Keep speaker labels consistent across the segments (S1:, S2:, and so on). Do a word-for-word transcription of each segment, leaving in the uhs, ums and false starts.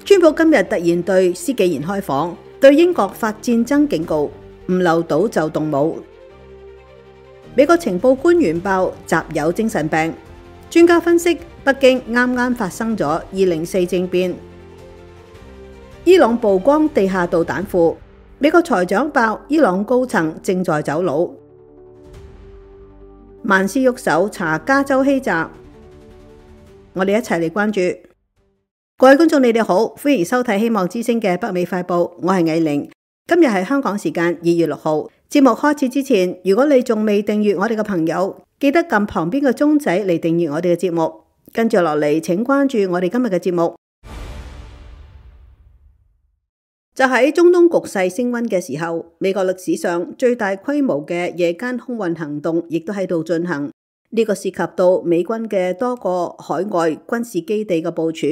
S1: 川普今日突然對施紀賢開火，對英國發戰爭警告，唔留島就動武。美國情報官員爆習有精神病，專家分析北京啱啱發生咗二零四政變。伊朗曝光地下導彈庫，美國財長爆伊朗高層正在走佬。萬事喐手查加州欺詐，我哋一齊嚟關注。各位觀眾，你哋好，歡迎收睇希望之聲嘅北美快報，我係藝玲。今日係香港時間二月六號。節目開始之前，如果你仲未訂閱我哋嘅朋友，記得撳旁邊嘅鐘仔嚟訂閱我哋嘅節目。跟住落嚟，請關注我哋今日嘅節目。就喺中東局勢升溫嘅時候，美國歷史上最大規模嘅夜間空運行動亦都喺度進行。呢個涉及到美軍嘅多個海外軍事基地嘅部署。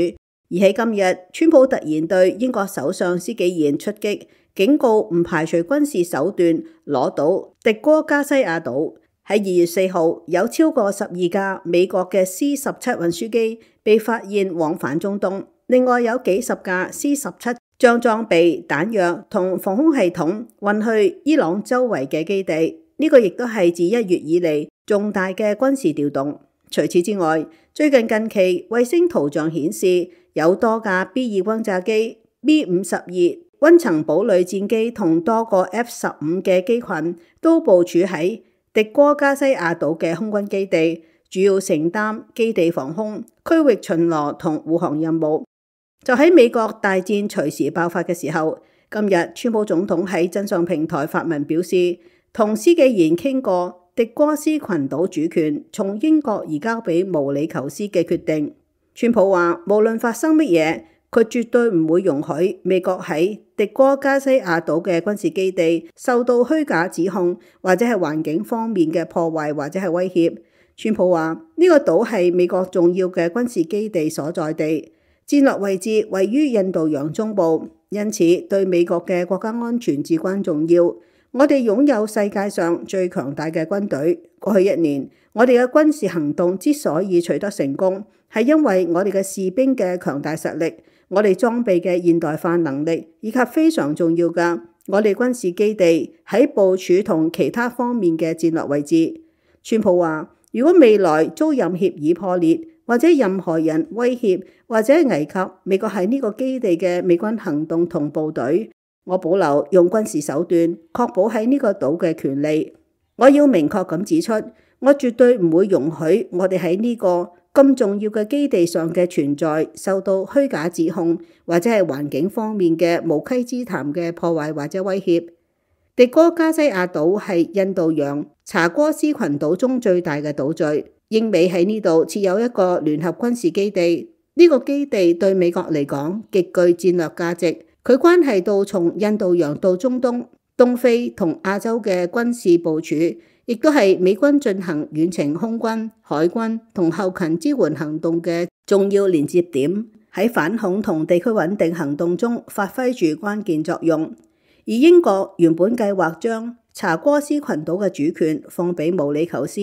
S1: 而喺今日，川普突然對英國首相施紀賢出擊，警告唔排除軍事手段攞到迪戈加西亞島。喺二月四號，有超過十二架美國嘅 C 十七運輸機被發現往返中東，另外有幾十架 C 十七將裝備、彈藥同防空系統運去伊朗周圍嘅基地。呢、這個亦都係自一月以嚟重大嘅軍事調動。除此之外，最近近期衛星圖像顯示，有多架 B 二轟炸機、B 五十二溫層堡壘戰機同多個 F 十五嘅機群都部署喺迪戈加西亞島嘅空軍基地，主要承擔基地防空、區域巡邏同護航任務。就喺美國大戰隨時爆發嘅時候，今日川普總統喺真相平台發文表示，同施紀賢傾過迪戈斯群島主權從英國移交俾毛里求斯嘅決定。川普話，無論發生乜嘢，佢絕對唔會容許美國喺迪戈加西亞島嘅軍事基地受到虛假指控，或者係環境方面嘅破壞或者係威脅。川普話，呢個島係美國重要嘅軍事基地所在地，戰略位置位於印度洋中部，因此對美國嘅國家安全至關重要。我哋擁有世界上最強大嘅軍隊。過去一年，我哋嘅軍事行動之所以取得成功，係因為我哋嘅士兵嘅強大實力，我哋裝備嘅現代化能力，以及非常重要嘅我哋軍事基地喺部署同其他方面嘅戰略位置。川普話，如果未來遭任協議破裂，或者任何人威脅或者危及美國喺呢個基地嘅美軍行動同部隊，我保留用軍事手段確保喺呢個島嘅權利。我要明確咁指出，我絕對唔會容許我哋喺呢個咁重要嘅基地上嘅存在受到虛假指控，或者係環境方面嘅無稽之談嘅破壞或者威脅。迪戈加西亞島係印度洋查戈斯群島中最大嘅島嶼，英美喺呢度設有一個聯合軍事基地。呢、這個基地對美國嚟講極具戰略價值，佢關係到從印度洋到中東、東非同亞洲嘅軍事部署，亦都係美軍進行遠程空軍、海軍同後勤支援行動嘅重要連接點，喺反恐同地區穩定行動中發揮住關鍵作用。而英國原本計劃將查戈斯群島嘅主權放俾毛里求斯，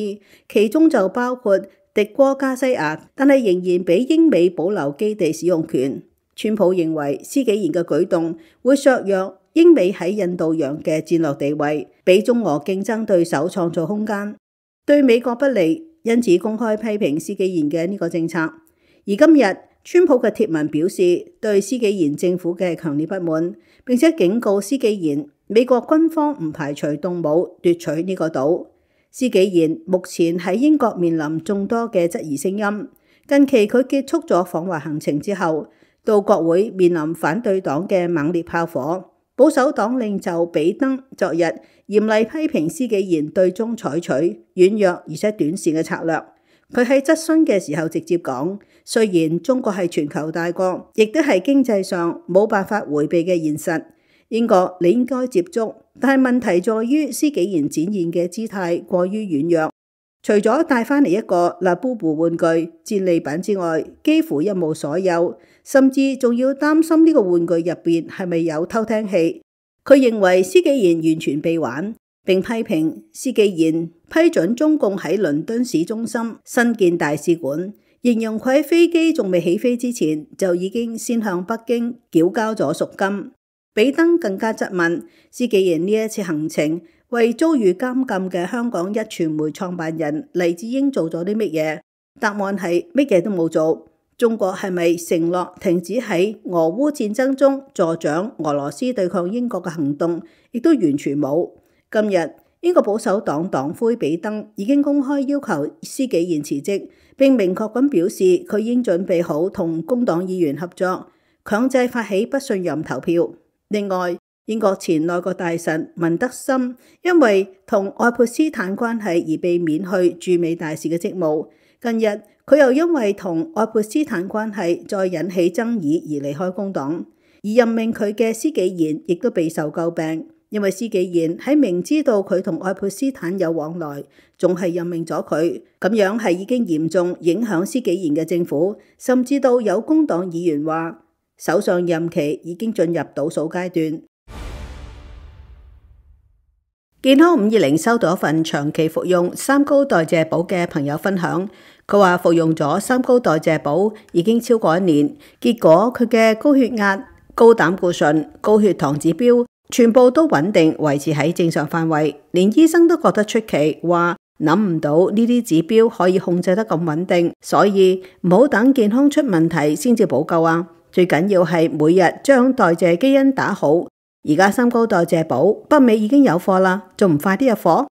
S1: 其中就包括迪戈加西亞，但係仍然俾英美保留基地使用權。川普認為施紀賢嘅舉動會削弱英美喺印度洋嘅戰略地位，俾中俄競爭對手創造空間，對美國不利，因此公開批評施紀賢嘅呢個政策。而今日川普嘅貼文表示對施紀賢政府嘅強烈不滿，並且警告施紀賢美國軍方唔排除動武奪取呢個島。施紀賢目前喺英國面臨眾多嘅質疑聲音。近期佢結束咗訪華行程之後，到國會面臨反對黨嘅猛烈炮火。保守黨領袖比登昨日嚴厲批評施紀賢對中採取軟弱而且短視嘅策略。佢喺質詢嘅時候直接講，雖然中國係全球大國，亦都係經濟上冇辦法迴避嘅現實，英國你應該接觸，但係問題在於施紀賢展現嘅姿態過於軟弱。除咗帶返嚟一個拉布布玩具戰利品之外，幾乎一無所有，甚至仲要擔心呢個玩具入邊係咪有偷聽器。佢認為施紀賢完全被玩，並批評施紀賢批准中共喺倫敦市中心新建大使館，形容佢喺飛機仲未起飛之前就已經先向北京繳交咗贖金。比登更加質問施紀賢呢一次行程為遭遇監禁嘅香港壹傳媒創辦人黎智英做咗啲乜嘢？答案係乜嘢都冇做。中國係咪承諾停止喺俄烏戰爭中助長俄羅斯對抗英國嘅行動？亦都完全冇。今日英國保守黨黨魁比登已經公開要求施紀賢辭職，並明確咁表示佢已經準備好同工黨議員合作，強制發起不信任投票。另外，英國前內閣大臣文德森因為同愛潑斯坦關係而被免去駐美大使嘅職務。近日佢又因為同愛潑斯坦關係再引起爭議而離開工黨，而任命佢嘅施紀賢亦都備受詬病，因為施紀賢喺明知道佢同愛潑斯坦有往來，仲係任命咗佢，咁樣係已經嚴重影響施紀賢嘅政府，甚至到有工黨議員話首相任期已經進入倒數階段。健康五二零收到一份長期服用三高代謝寶嘅朋友分享，佢話服用咗三高代謝寶已經超過一年，結果佢嘅高血壓、高膽固醇、高血糖指標全部都穩定維持喺正常範圍，連醫生都覺得出奇，話諗唔到呢啲指標可以控制得咁穩定，所以唔好等健康出問題先至補救啊！最緊要係每日將代謝基因打好。而家三高代謝寶北美已經有貨啦，仲唔快啲入貨？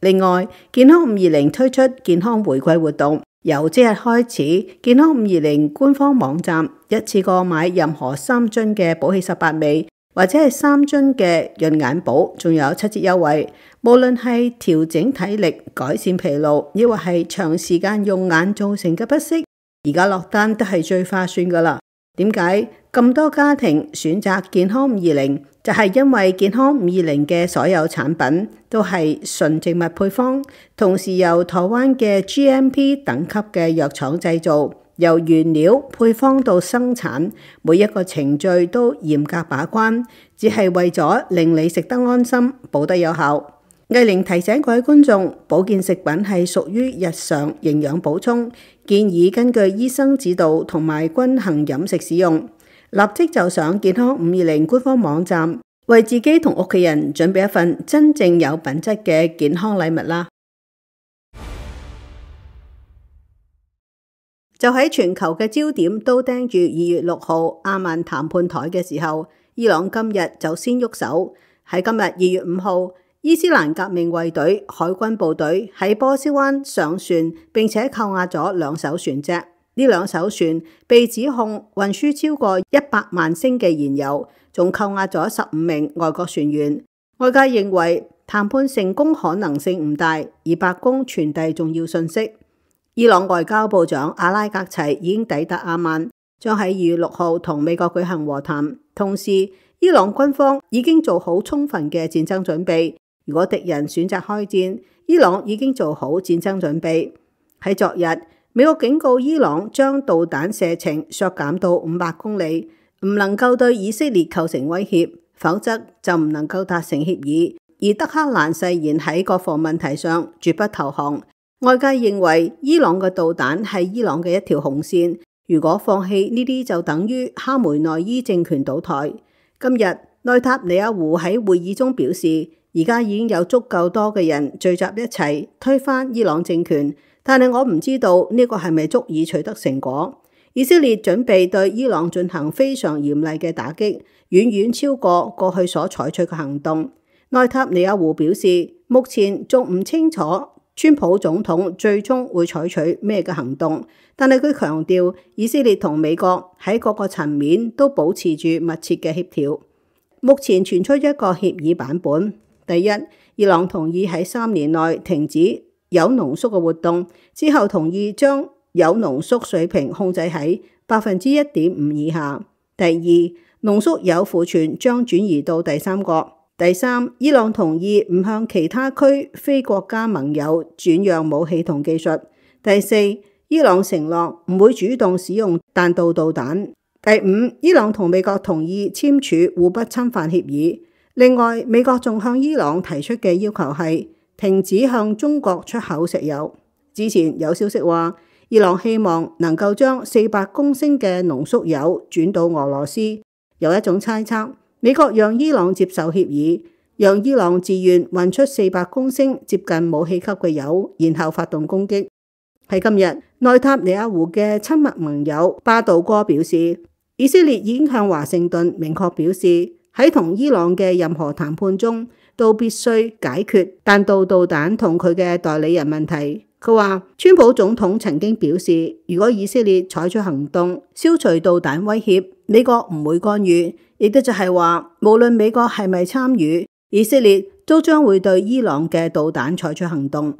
S1: 另外，健康五二零推出健康回饋活動，由即日開始，健康五二零官方網站一次過買任何三樽嘅寶氣十八味，或者係三樽嘅潤眼寶，仲有七折優惠。無論係調整體力、改善疲勞，抑或係長時間用眼造成嘅不適，而家落單都係最划算噶啦。點解咁多家庭選擇健康五二零？就係因為健康五二零嘅所有產品都係純植物配方，同時由台灣嘅 G M P 等級嘅藥廠製造，由原料配方到生產，每一個程序都嚴格把關，只係為咗令你食得安心，補得有效。藝玲提醒各位觀眾，保健食品係屬於日常營養補充，建議根據醫生指導同埋均衡飲食使用。立即就上健康五二零官方網站，為自己同屋企人準備一份真正有品質嘅健康禮物啦！就喺全球嘅焦點都盯住二月六號阿曼談判台嘅時候，伊朗今日就先喐手。喺今日二月五號，伊斯蘭革命衛隊海軍部隊喺波斯灣上船，並且扣押咗兩艘船隻。呢兩艘船被指控運輸超過一百萬升嘅燃油，仲扣押咗十五名外國船員。外界認為談判成功可能性唔大，而白宮傳遞重要訊息。伊朗外交部長阿拉格齊已經抵達阿曼，將喺二月六號同美國舉行和談。同時，伊朗軍方已經做好充分嘅戰爭準備。如果敵人選擇開戰，伊朗已經做好戰爭準備。喺昨日，美國警告伊朗將導彈射程削減到五百公里，唔能夠對以色列構成威脅，否則就唔能夠達成協議。而德黑蘭誓言喺國防問題上絕不投降。外界認為伊朗嘅導彈係伊朗嘅一條紅線，如果放棄呢啲就等於哈梅內伊政權倒台。今日內塔尼亞胡喺會議中表示，而家已經有足夠多嘅人聚集一齊推翻伊朗政權。但係我唔知道呢個係咪足以取得成果。以色列準備對伊朗進行非常嚴厲嘅打擊，遠遠超過過去所採取嘅行動。內塔尼亞胡表示，目前仲唔清楚川普總統最終會採取咩嘅行動，但係佢強調以色列同美國喺各個層面都保持住密切嘅協調。目前傳出一個協議版本，第一，伊朗同意喺三年內停止鈾濃縮嘅活動，之後同意將鈾濃縮水平控制喺百分之一點五以下。第二，濃縮鈾庫存將轉移到第三國。第三，伊朗同意唔向其他區非國家盟友轉讓武器同技術。第四，伊朗承諾唔會主動使用彈道導彈。第五，伊朗同美國同意簽署互不侵犯協議。另外，美國仲向伊朗提出嘅要求係停止向中國出口石油。之前有消息話，伊朗希望能夠將四百公升嘅濃縮鈾轉到俄羅斯。有一種猜測，美國讓伊朗接受協議，讓伊朗自願運出四百公升接近武器級嘅鈾，然後發動攻擊。喺今日，內塔尼亞胡嘅親密盟友巴杜哥表示，以色列已經向華盛頓明確表示，喺同伊朗嘅任何談判中都必須解決彈道導彈同佢嘅代理人問題。佢話，川普總統曾經表示，如果以色列採取行動消除導彈威脅，美國唔會干預，亦都就係話，無論美國係咪參與，以色列都將會對伊朗嘅導彈採取行動。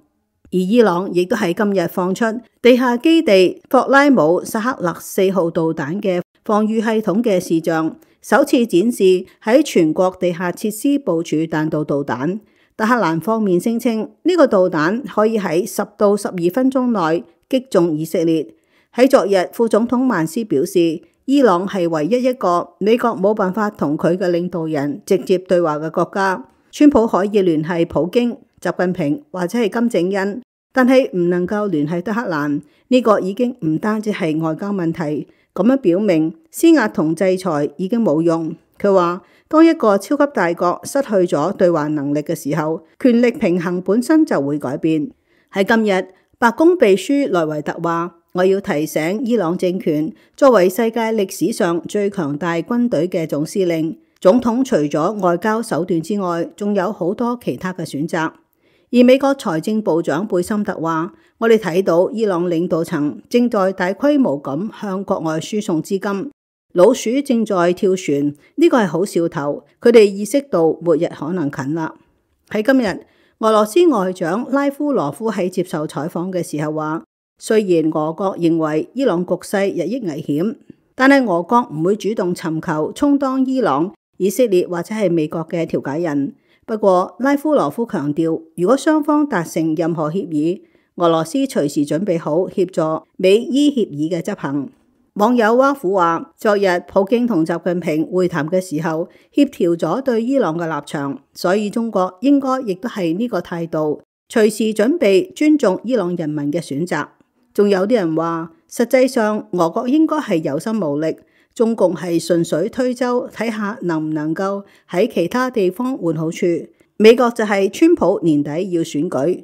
S1: 而伊朗亦都喺今日放出地下基地霍拉姆薩克勒四號導彈嘅防禦系統嘅視像，首次展示喺全國地下設施部署彈道導彈。德黑蘭方面聲稱呢、這個導彈可以喺十到十二分鐘內擊中以色列。喺昨日，副總統曼斯表示，伊朗係唯一一個美國冇辦法同佢嘅領導人直接對話嘅國家。川普可以聯繫普京、習近平或者係金正恩，但係唔能夠聯繫德黑蘭。呢、這個已經唔單止係外交問題，咁樣表明施壓同制裁已經冇用。佢話，當一個超級大國失去咗對話能力嘅時候，權力平衡本身就會改變。喺今日，白宮秘書萊維特話，我要提醒伊朗政權，作為世界歷史上最強大軍隊嘅總司令，總統除咗外交手段之外，仲有好多其他嘅選擇。而美國財政部長貝森特話，我哋睇到伊朗領導層正在大規模咁向國外輸送資金，老鼠正在跳船，呢個係好兆頭，佢哋意識到末日可能近啦。喺今日，俄羅斯外長拉夫羅夫喺接受採訪嘅時候話，雖然俄國認為伊朗局勢日益危險，但係俄國唔會主動尋求充當伊朗、以色列或者係美國嘅調解人。不過，拉夫羅夫強調，如果雙方達成任何協議，俄羅斯隨時準備好協助美伊協議嘅執行。網友挖苦話，昨日普京同習近平會談嘅時候，協調咗對伊朗嘅立場，所以中國應該亦都係呢個態度，隨時準備尊重伊朗人民嘅選擇。仲有啲人話，實際上俄國應該係有心無力。中共係順水推舟，睇下能唔能夠喺其他地方換好處。美國就係川普年底要選舉，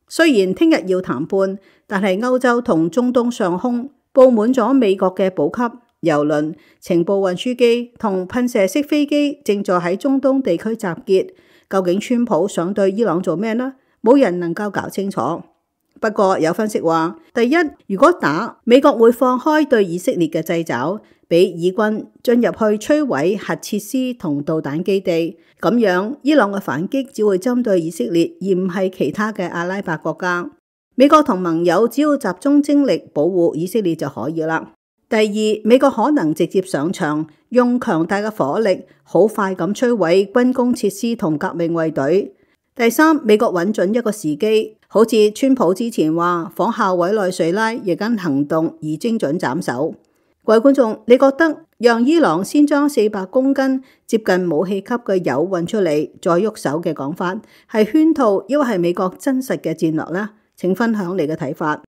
S1: 雖然聽日要談判，但係歐洲同中東上空佈滿咗美國嘅補給、郵輪、情報運輸機同噴射式飛機，正在喺中東地區集結。究竟川普想對伊朗做咩呢？冇人能夠搞清楚。不過有分析話，第一，如果打，美國會放開對以色列嘅掣肘，俾以軍進入去摧毀核設施同導彈基地，咁樣伊朗嘅反擊只會針對以色列，而唔係其他嘅阿拉伯國家。美國同盟友只要集中精力保護以色列就可以啦。第二，美國可能直接上場，用強大嘅火力，好快咁摧毀軍工設施同革命衛隊。第三，美國揾準一個時機，好似川普之前話仿效委內瑞拉夜間行動而精準斬首。各位觀眾，你覺得讓伊朗先將四百公斤接近武器級嘅鈾運出嚟，再喐手嘅講法係圈套，抑或係美國真實嘅戰略呢？請分享你嘅睇法。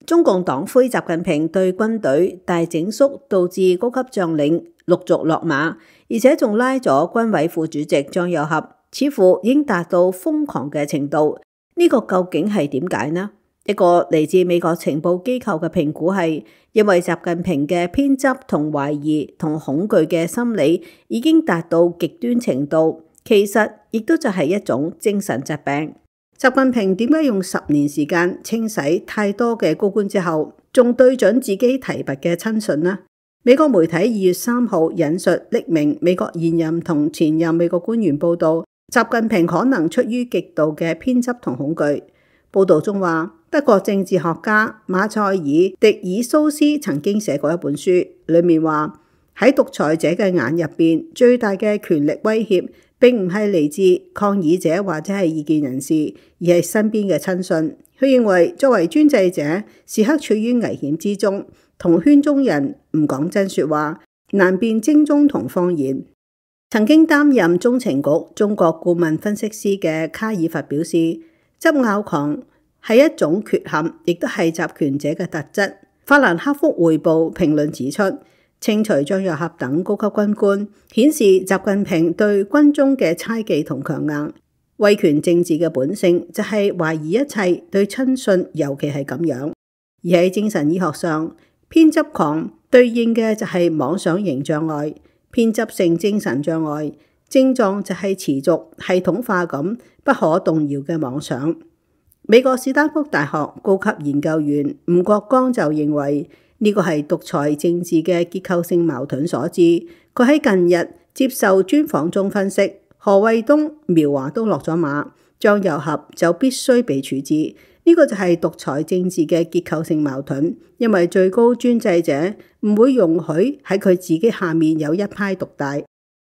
S1: 中共黨魁習近平對軍隊大整肅，導致高級將領陸續落馬，而且仲拉咗軍委副主席張又俠，似乎已經達到瘋狂嘅程度。呢個究竟係點解呢？一個嚟自美國情報機構嘅評估係，因為習近平嘅偏執同懷疑同恐懼嘅心理已經達到極端程度，其實亦都就係一種精神疾病。習近平點解用十年時間清洗太多嘅高官之後，仲對準自己提拔嘅親信呢？美國媒體二月三號引述匿名美國現任同前任美國官員報道，習近平可能出於極度嘅偏執同恐懼。報道中話，德國政治學家馬塞爾迪爾蘇斯曾經寫過一本書，裏面話喺獨裁者嘅眼入邊，最大嘅權力威脅並唔係嚟自抗議者或者係異見人士，而係身邊嘅親信。佢認為作為專制者，時刻處於危險之中，同圈中人唔講真說話，難辨精忠同謊言。曾經擔任中情局中國顧問分析師嘅卡爾佛表示，執拗狂係一種缺陷，亦都係集權者嘅特質。法蘭克福匯報評論指出，清除張又俠等高級軍官，顯示習近平對軍中嘅猜忌同強硬。威權政治嘅本性就係懷疑一切，對親信尤其係咁樣。而喺精神醫學上，偏執狂對應嘅就係妄想型障礙，偏執性精神障礙症狀就係持續系統化咁不可動搖嘅妄想。美國史丹福大學高級研究員吳國光就認為呢個係獨裁政治嘅結構性矛盾所致。佢喺近日接受專訪中分析，何衛東、苗華都落咗馬，張又俠就必須被處置。呢個就係獨裁政治嘅結構性矛盾，因為最高專制者唔會容許喺佢自己下面有一派獨大，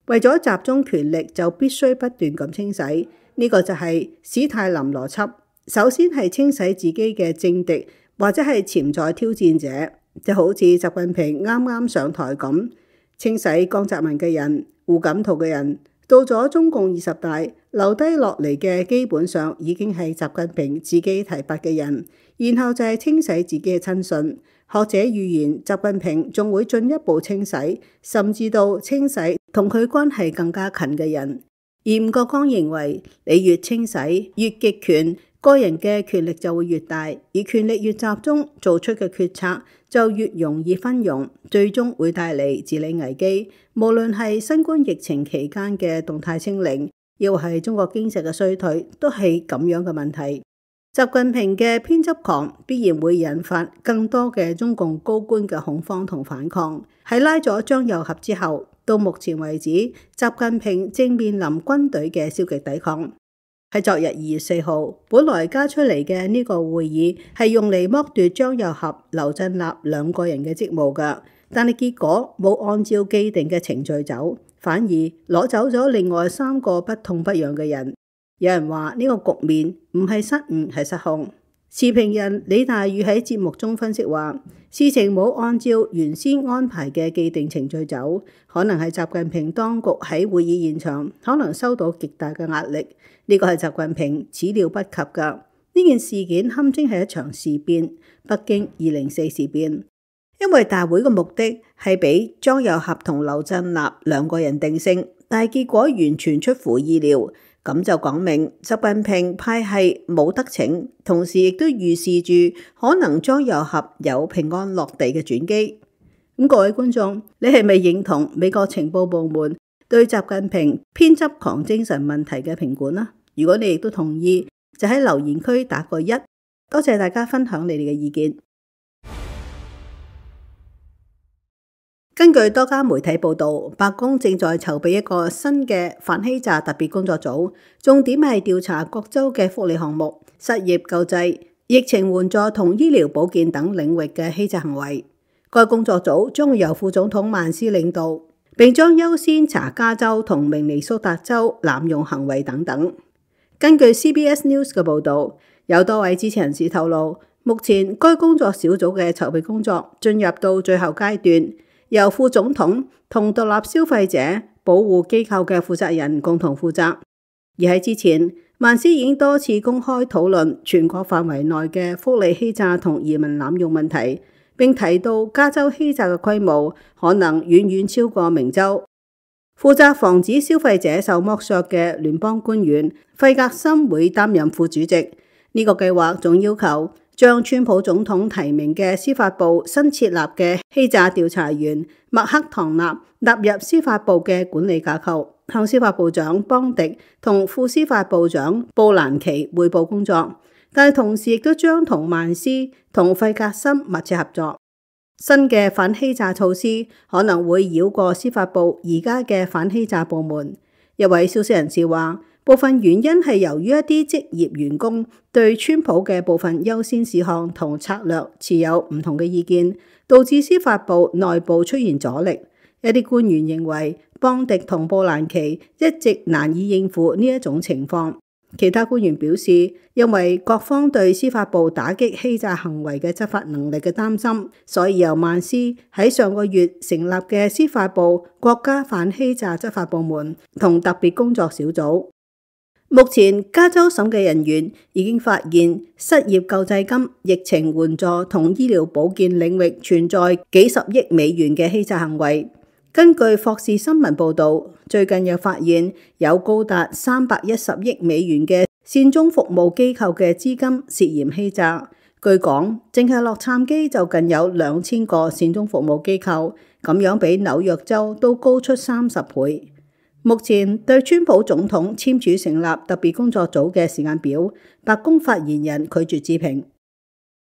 S1: 為咗集中權力就必須不斷咁清洗。呢個就係史泰林邏輯，首先係清洗自己嘅政敵或者係潛在挑戰者，就好似習近平啱啱上台咁，清洗江澤民嘅人、胡錦濤嘅人。到咗中共二十大，留低落嚟嘅基本上已經係習近平自己提拔嘅人，然後就係清洗自己嘅親信。學者預言習近平仲會進一步清洗，甚至到清洗同佢關係更加近嘅人。而吳國光認為，你越清洗越極權，個人嘅權力就會越大，而權力越集中，做出嘅決策就越容易昏庸，最終會帶嚟治理危機。無論係新冠疫情期間嘅動態清零，又或係中國經濟嘅衰退，都係咁樣嘅問題。習近平嘅偏執狂必然會引發更多嘅中共高官嘅恐慌同反抗。喺拉咗張又俠之後，到目前為止，習近平正面臨軍隊嘅消極抵抗。喺昨日二月四號，本來加出嚟嘅呢個會議係用嚟剝奪張又俠、劉振立兩個人嘅職務㗎，但係結果冇按照既定嘅程序走，反而攞走咗另外三個不痛不癢嘅人。有人話呢個局面唔係失誤，係失控。時評人李大宇喺節目中分析話，事情冇按照原先安排嘅既定程序走，可能係習近平當局喺會議現場可能收到極大嘅壓力。呢個係習近平始料不及㗎。呢件事件堪稱係一場事變，北京二零四事變。因為大會嘅目的係俾張又俠同劉振立兩個人定性，但係結果完全出乎意料，咁就講明習近平派系冇得逞，同時亦都預示住可能張又俠有平安落地嘅轉機。咁各位觀眾，你係咪認同美國情報部門對習近平偏執狂精神問題嘅評估呢？如果你亦都同意，就喺留言區打個一。多謝大家分享你哋嘅意見。根據多家媒體報道，白宮正在籌備一個新嘅反欺詐特別工作組，重點係調查各州嘅福利項目、失業救濟、疫情援助同醫療保健等領域嘅欺詐行為。該工作組將會由副總統曼斯領導，並將優先查加州同明尼蘇達州濫用行為等等。根據 C B S News 嘅報導，有多位知情人士透露，目前該工作小組嘅籌備工作進入到最後階段，由副總統同獨立消費者保護機構嘅負責人共同負責。而喺之前，曼斯已經多次公開討論全國範圍內嘅福利欺詐同移民濫用問題，並提到加州欺詐嘅規模可能遠遠超過明州。負責防止消費者受剝削嘅聯邦官員費格森會擔任副主席。呢個計劃仲要求將川普總統提名嘅司法部新設立嘅欺詐調查員麥克唐納納入司法部嘅管理架構，向司法部長邦迪同副司法部長布蘭奇匯報工作。但係同時亦都將同曼斯同費格森密切合作。新嘅反欺詐措施可能會繞過司法部而家嘅反欺詐部門。一位消息人士話，部分原因係由於一啲職業員工對川普嘅部分優先事項同策略持有唔同嘅意見，導致司法部內部出現阻力。一啲官員認為邦迪同布蘭奇一直難以應付呢一種情況。其他官員表示，因為各方對司法部打擊欺詐行為嘅執法能力嘅擔心，所以由曼斯喺上個月成立嘅司法部國家反欺詐執法部門同特別工作小組。目前加州審計人員已經發現失業救濟金、疫情援助同醫療保健領域存在幾十億美元嘅欺詐行為。根據霍士新聞報導，最近又發現有高達三百一十億美元嘅善終服務機構嘅資金涉嫌欺詐。據講，淨係洛杉磯就近有兩千個善終服務機構，咁樣比紐約州都高出三十倍。目前對川普總統簽署成立特別工作組嘅時間表，白宮發言人拒絕置評。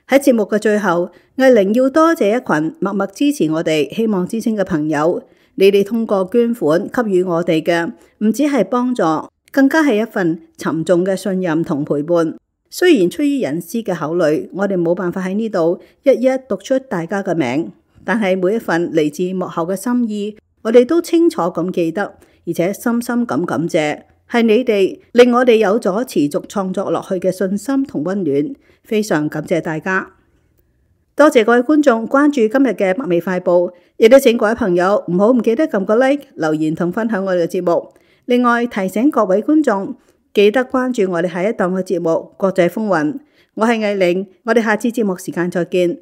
S1: 喺節目嘅最後，藝玲要多謝一群默默支持我哋希望之聲嘅朋友，你哋通過捐款給予我哋嘅，唔止係幫助，更加係一份沉重嘅信任同陪伴。雖然出於隱私嘅考慮，我哋冇辦法喺呢度一一讀出大家嘅名，但係每一份嚟自幕後嘅心意，我哋都清楚咁記得。而且深深咁感謝，係你哋令我哋有咗持續創作落去嘅信心同溫暖，非常感謝大家。多謝各位觀眾關注今日嘅北美快報，亦都請各位朋友唔好唔記得撳個 like、留言同分享我哋嘅節目。另外提醒各位觀眾記得關注我哋下一檔嘅節目《國際風雲》。我係藝玲，我哋下次節目時間再見。